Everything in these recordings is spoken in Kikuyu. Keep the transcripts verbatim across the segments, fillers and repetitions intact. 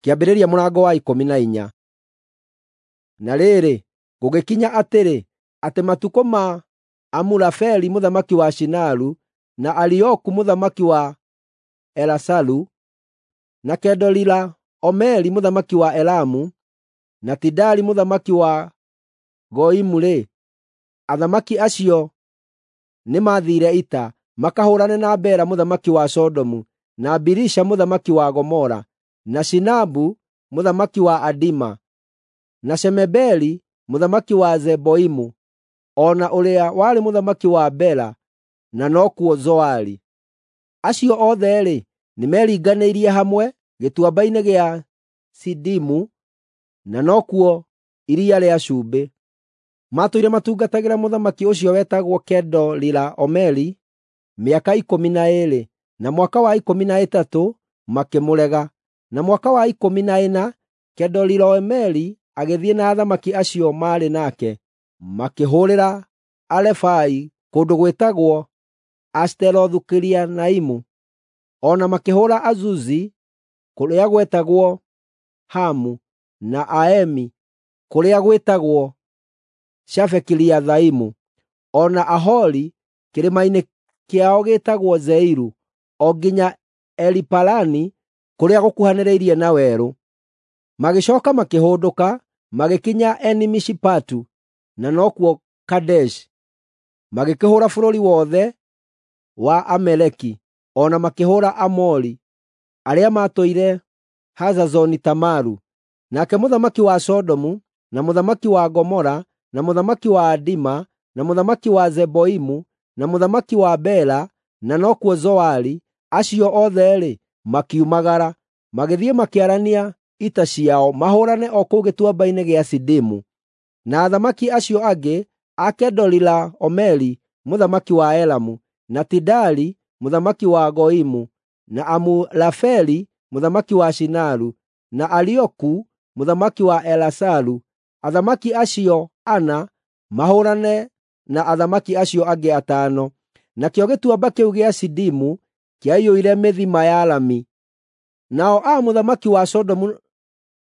Kĩambĩrĩria mũrango wa ikũmi na inya. Na rĩrĩ, gũgĩkinya atĩrĩ, atĩ matukũ ma Amurafeli mũthamaki wa Shinaru, na Arioku mũthamaki wa Elasaru, na Kedorilaomeri mũthamaki wa Elamu, na Tidali mũthamaki wa Goimu-rĩ, athamaki acio nĩmathiire ita, makahũũrane na Bera mũthamaki wa Sodomu, na Birisha mũthamaki wa Gomora, na Shinabu mũthamaki wa Adima, na Shemeberi mũthamaki wa Zeboimu, o na ũrĩa warĩ mũthamaki wa Bela, na nokuo Zoari. Acio othe-rĩ, nĩmeringanĩirie hamwe gĩtuamba-inĩ gĩa Sidimu, na nokuo Iria rĩa Cumbĩ. Maatũire matungatagĩra mũthamaki ũcio wetagwo Kedorilaomeri mĩaka ikũmi na ĩĩrĩ, na mwaka wa ikũmi na ĩtatũ makĩmũrega. Na mwaka wa ikũmi na ĩna Kedorilaomeri agĩthiĩ na athamaki acio maarĩ nake, makĩhũũrĩra Arefai kũndũ gwĩtagwo Ashiterothu-Kirianaimu, o na makĩhũũra Azuzi kũrĩa gwetagwo Hamu, na Aemi kũrĩa gwĩtagwo Shave-Kiriathaimu, o na Ahori kĩrĩma-inĩ kĩao gĩtagwo Seiru, o nginya Eliparani kũrĩa gũkuhanĩrĩirie na werũ. Magĩcooka makĩhũndũka, magĩkinya Eni-Mishipatu, na nokuo Kadeshi. Magĩkĩhũũra bũrũri wothe wa Amaleki, o na makĩhũũra Aamori arĩa maatũire Hazazoni-Tamaru. Nake mũthamaki wa Sodomu, na mũthamaki wa Gomora, na mũthamaki wa Adima, na mũthamaki wa Zeboimu, na mũthamaki wa Bela, na nokuo Zoari, acio othe-rĩ, makiumagara, magĩthiĩ makĩarania ita ciao mahũũrane o kũu gĩtuamba-inĩ gĩa Sidimu. Na athamaki acio angĩ a Kedorilaomeri mũthamaki wa Elamu, na Tidali mũthamaki wa Goimu, na Amurafeli mũthamaki wa Shinaru, na Arioku mũthamaki wa Elasaru, athamaki acio ana mahũũrane na athamaki acio angĩ atano. Nakĩo gĩtuamba kĩu gĩa Sidimu kĩaiyũire mĩthima ya rami. Nao a mũthamaki wa Sodomu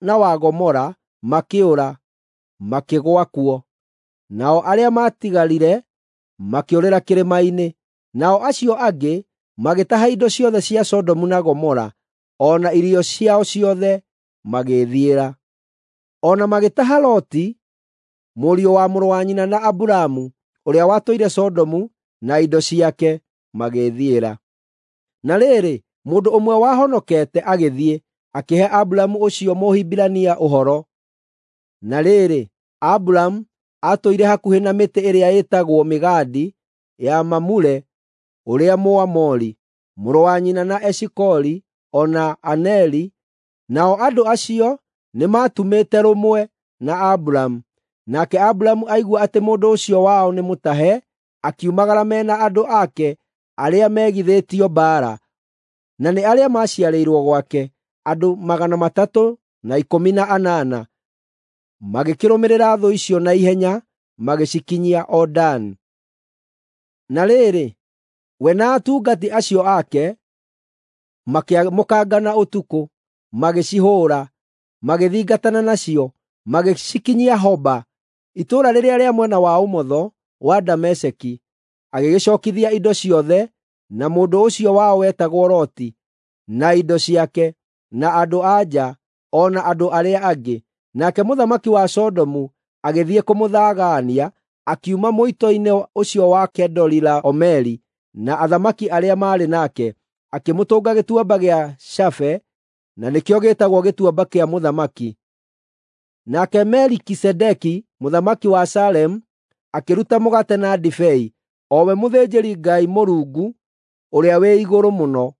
na wa Gomora makĩũra, makĩgũa kuo. Nao arĩa maatigarire makĩũrĩra kĩrĩma-inĩ. Nao acio angĩ magĩtaha indo ciothe cia Sodomu na Gomora, o na irio ciao ciothe magĩĩthiĩra. O na magĩtaha Loti, mũriũ wa mũrũ wa nyina na Aburamu, ũrĩa watũire Sodomu, na indo ciake, magĩĩthiĩra. Na rĩrĩ, mũndũ ũmwe wahonokete agĩthiĩ, akĩhe Aburamu ũcio Mũhibirania ũhoro. Na rĩrĩ, Aburamu aatũire hakuhĩ na mĩtĩ ĩrĩa ĩtagwo mĩgandi ya Mamure ũrĩa Mũamori, mũrũ wa nyina na Eshikoli o na Aneri, nao andũ acio nĩmatumĩte rũmwe na Aburamu. Nake Aburamu aigua atĩ mũndũ ũcio wao nĩ mũtahe, akiumagara me na andũ ake arĩa megithĩtio mbaara, na nĩ arĩa maaciarĩirwo gwake, andũ magana matatũ na ikũmi na anana. Magĩkĩrũmĩrĩra thũ icio na ihenya, magĩcikinyia o Dani. Na rĩrĩ, we na atungati acio ake makĩamũkangana ũtukũ, magĩcihũũra, magĩthingatana nacio, magĩcikinyia Hoba, itũũra rĩrĩa rĩa mwena wa ũmotho wa Dameseki. Agĩgĩcookithia indo ciothe, na mũndũ ũcio wao wetagwo Loti, na indo ciake, na andũ-a-nja, o na andũ arĩa angĩ. Nake mũthamaki wa Sodomu agĩthiĩ kũmũthagaania, akiuma mũito-inĩ ũcio wa Kedorilaomeri na athamaki arĩa maarĩ nake, akĩmũtũnga gĩtuamba gĩa Shafe, na nĩkĩo gĩtagwo gĩtuamba kĩa mũthamaki. Nake Melikisedeki mũthamaki wa Salemu akĩruta mũgate na ndibei, o we mũthĩnjĩri-Ngai Mũrungu ũrĩa wĩ igũrũ mũno,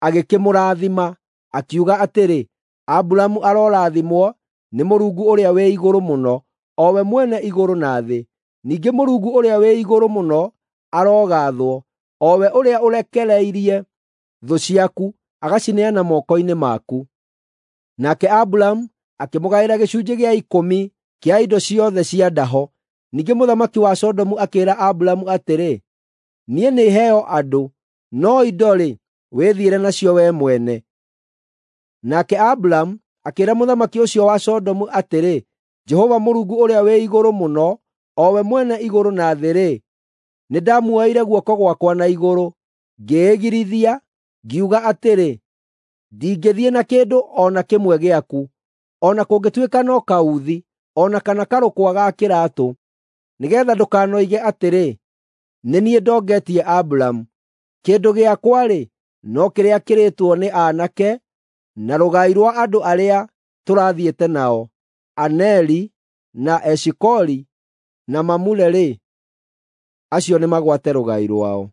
agĩkĩmũrathima, akiuga atĩrĩ, Aburamu arorathimwo nĩ Mũrungu ũrĩa wĩ igũrũ mũno, o we mwene igũrũ na thĩ. Ningĩ Mũrungu ũrĩa wĩ igũrũ mũno arogaathwo, o we ũrĩa ũrekereirie thũ ciaku agacineana moko-inĩ maku. Nake Aburamu akĩmũgaĩra gĩcunjĩ gĩa ikũmi kĩa indo ciothe cia ndaho. Ningĩ mũthamaki wa Sodomu akĩĩra Aburamu atĩrĩ, “Niĩ nĩheo andũ, no indo-rĩ, wĩthiĩre nacio wee mwene.” Nake Aburamu akĩĩra mũthamaki ũcio wa Sodomu atĩrĩ, “Jehova Mũrungu Ũrĩa-wĩ-Igũrũ-Mũno, o we mwene igũrũ na thĩ-rĩ, nĩndamuoeire guoko gwakwa na igũrũ, ngĩĩgirithia, ngiuga atĩrĩ, ‘Ndingĩthiĩ na kĩndũ o na kĩmwe gĩaku, o na kũngĩtuĩka no kauthi, o na kana karũkwa ga kĩraatũ, nĩgeetha ndũkanoige atĩrĩ, “Nĩ niĩ ndongetie Aburamu.” Kĩndũ gĩakwa-rĩ, no kĩrĩa kĩrĩĩtwo nĩ aanake, na rũgai rwa andũ arĩa tũrathiĩte nao, Aneri, na Eshikoli na Mamure-rĩ, acio nĩmagwate rũgai rwao.”